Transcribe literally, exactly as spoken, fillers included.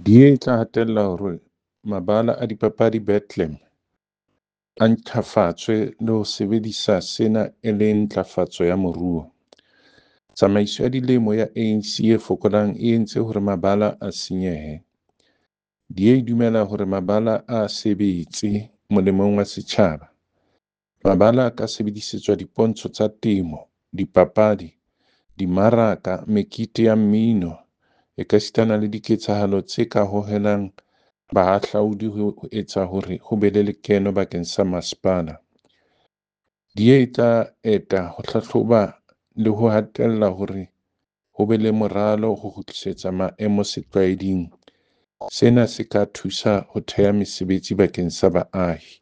D A e tla hatella hore mabala a dipapadi Bethlehem a ntjhafatswe le ho sebedisa sena e le ntlafatso ya moruo. Tsamaiso ya dilemo ya A N C e fokolang e entse hore mabala a senyehe. D A e dumela hore mabala a sebetse molemong wa setjhaba. Mabala a ka sebedisetswa dipontsho tsa temo, dipapadi, dimaraka, mekete ya mmino ekasitana le diketsahalo tse ka hohelang bahahlaudi ho etsa hore ho be le lekeno bakeng sa masepala. D A e tla eta ho hlahloba le ho hatella hore ho be le moralo ho kgutlisetsa maemo setlwaeding. Sena se ka thusa ho theha mesebetsi bakeng sa baahi.